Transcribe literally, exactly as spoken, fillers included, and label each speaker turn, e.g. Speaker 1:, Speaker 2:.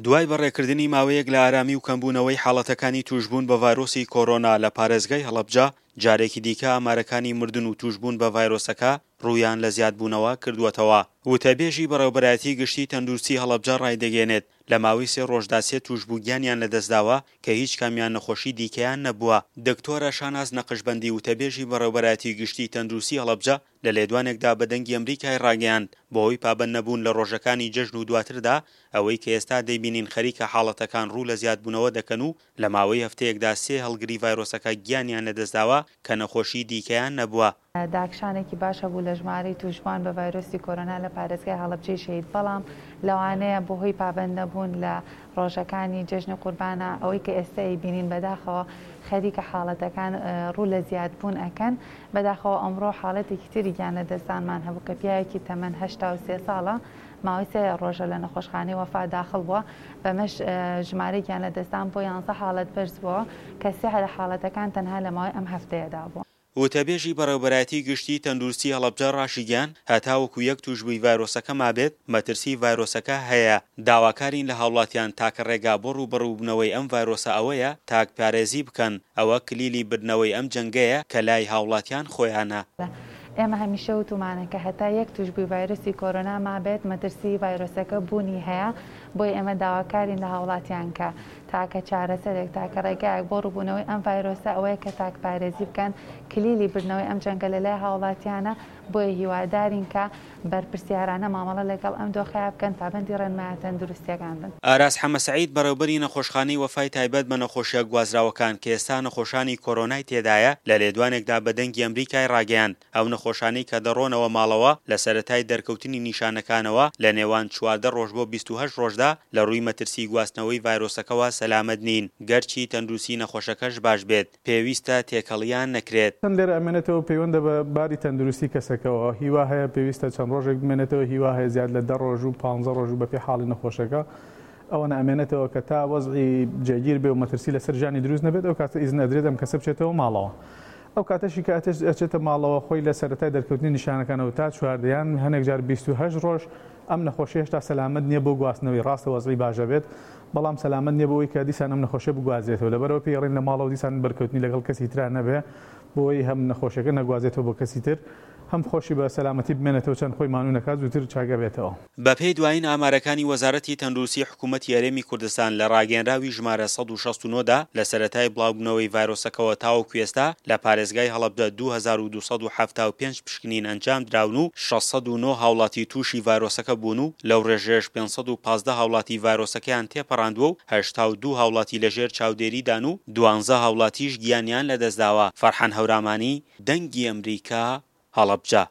Speaker 1: دوای بەڕێکردنی ماوەیەک لە ئارامی و کەمبوونەوەی حاڵەتەکانی تووشبوون بە ڤایرۆسی کۆرۆنا لە پارێزگای هەڵەبجە، جارێکی دیکە ئامارەکانی مردن و تووشبوون بە ڤایرۆسەکە ڕوویان لە زیادبوونەوە کردووەتەوە. وتەبێژی بەڕێوەبەرایەتی گشتی تەندروستی هەڵەبجە ڕایدەگەیەنێت، لە ماوەی سێ ڕۆژدا سێ تووشبوو گیانیان لەدەستداوە کە هیچ کامیان نەخۆشی دیکەیان نەبووە. دکتۆرە شاناز نەقشبەندی وتەبێژی بەڕێوەبەرایەتی گشتی تەندروستی هەڵەبجە لە لێدوانێکدا بە دەنگی ئەمریکای ڕاگەیاند، بەهۆی پابەند نەبوون لە ڕۆژەکانی جەژن و دواتردا ئەوەی کە ئێستا دەیبینین خەریکە حاڵەتەکان ڕوو لە زیادبوونەوە دەکەن و لە ماوەی هەفتەیەکدا سێ هەڵگری ڤایرۆسەکە گیانیان لەدەستداوە کە نەخۆشی دیکەیان نەبووە.
Speaker 2: داکشانێکی باش هەبوو لە ژمارەی تووشبووان بە ڤایرۆسی کۆرۆنا لە پارێزگای هەڵەبجەی شەهید، بەڵام لەوانەیە بەهۆی پابەند نەبوون لە ڕۆژەکانی جەژنی قوربانە ئەوەی کە ئێستا ئەیبینین بەداخەوە خەریکە حاڵەتەکان ڕوو لە زیادبوون ئەکەن. بەداخەوە ئەمڕۆ حاڵەتێکی تری گیان لەدەستدانمان هەبوو کە پیاوێکی تەمەن هەشتا و سێ ساڵە ماوەی سێ ڕۆژە لە نەخۆشخانەی وەفا داخڵ بووە، بەمەش ژمارەی گیان لەدەستدان بۆ یانزە حاڵەت بەرز بووە کە سێ لە حاڵەتەکان تەنها لە ماوەی ئەم هەفتەیەدا بووە.
Speaker 1: وتەبێژی بەڕێوەبەرایەتی گشتی تەندروستی هەڵەبجە ڕاشیگەیاند، هەتاوەکو یەک تووشبووی ڤایرۆسەکە مابێت، مەترسی ڤایرۆسەکە هەیە، داواکارین لە هاوڵاتیان تاکە ڕێگا بۆ ڕووبەڕووبوونەوەی ئەم ڤایرۆسە ئەوەیە تاکپارێزی بکەن، ئەوە کلیلی بردنەوەی ئەم جەنگەیە کە لای هاوڵاتیان خۆیانە.
Speaker 2: ئێمە هەمیشە وتومانە کە هەتا یەک تووشبووی ڤایرۆسی کۆرۆنا مابێت مەترسی ڤایرۆسەکە بوونی هەیە، بۆیە ئێمە داواکارین لە هاوڵاتیان کە تاکە چارەسەرێک تاکە ڕێگایەک بۆ ڕووبوونەوەی ئەم ڤایرۆسە ئەوەیە کە تاکپارێزی بکەن، کلیلی بردنەوەی ئەم جەنگە لە لای هاوڵاتیانە، بۆیە هیوادارین کە بەرپرسیارانە مامەڵە لەگەڵ ئەم دۆخەیە بکەن، پابەندی ڕێنمایە تەندروستیەکان بن.
Speaker 1: ئاراس حەمەسەعید بەڕێوبەری نەخۆشخانەی وەفای تایبەت بە نەخۆشیە گوازراوەکان کە ئێستا نەخۆشانی کۆرۆنای تێدایە لە لێدوانێکدا بە دەنگی ئەمریکای ڕاگەیاند ئەو نەخۆشانەی کە دەڕۆنەوە ماڵەوە لە سەرەتای دەرکەوتنی نیشانەکانەوە لە نێوان چواردە ڕۆژ بۆ بیست و هەشت ڕۆژدا لە ڕووی مەترسی گواستنەوەی ڤایرۆسەکەوە سەلامەت نین، گەرچی تەندروستی نەخۆشەکەش باش بێت پێویستە تێکەڵیان نەکرێت.
Speaker 3: چەند لێرە ئەمێنێتەوە پەیوەندە بە باری تەندروستی کەسەکەوە، هیوا هەیە پێویستە چەند ڕۆژێک بمێنێتەوە، هیوا هەیە زیاد لە دە ڕۆژ و پانزە ڕۆژ و بەپێی حاڵی نەخۆشەکە ئەوەنە ئەمێنێتەوە کە تا وەزعی جێگیر بێ و مەترسی لەسەر ژیانی دروست نەبێت، ئەو کاتە ئیزن ئەدرێت ئەم کەسە بچێتەوە ماڵەوە. ئەو کاتەشی کە ئەچێتە ماڵەوە خۆی لە سەرەتای دەرکەوتنی نیشانەکانەوە تا چواردەیان هەنێک جار بیست و هەشت ڕۆژ ئەم نەخۆشی هێشتا سەلامەت نییە بۆ گواستنەوەی، ڕاستە وەزعی باشە بێت بەڵام سەلامەت نییە بۆ ئەوەی کە دیسان ئەم نەخۆشیە بگوازێتەوە، لەبەرەوە پێی ئەڵێن لە ماڵەوە دیسان بەرکەوتنی لەگەڵ کەسی ترا نەبێ بۆی هەم نەخۆشیەکە نەگوازێتەوە بۆ کەسی تر، هەم خۆشی بە سەلامەتی بمێنێتەوە چەند خۆی مانوو نەکات زووتر چاکە بێتەوە.
Speaker 1: بەپێی دوایین ئامارەکانی وەزارەتی تەندروستی حکوومەتی هەرێمی کوردستان لە ڕاگەیەنراوی ژمارە سەد و شەست و نۆ دا لە سەرەتای بڵاوبوونەوەی ڤایرۆسەکەوە تاوەکو ئێستا لە پارێزگای هەڵەبجە دوو هەزار و دوو سەد و حەفتا و پێنج پشکنین ئەنجام دراون و شەش سەد و نۆ هاوڵاتی تووشی ڤایرۆسەکە بوون و لەو ڕێژەیەش پێنج سەد و پازدە هاوڵاتی ڤایرۆسەکەیان تێپەڕاندووە و هەشتا و دوو هاوڵاتی لەژێر چاودێریدان و دوانزە هاوڵاتیش گیانیان لەدەستداوە. فەرحان هەورامانی، دەنگی ئەمریکا، هەڵەبجە.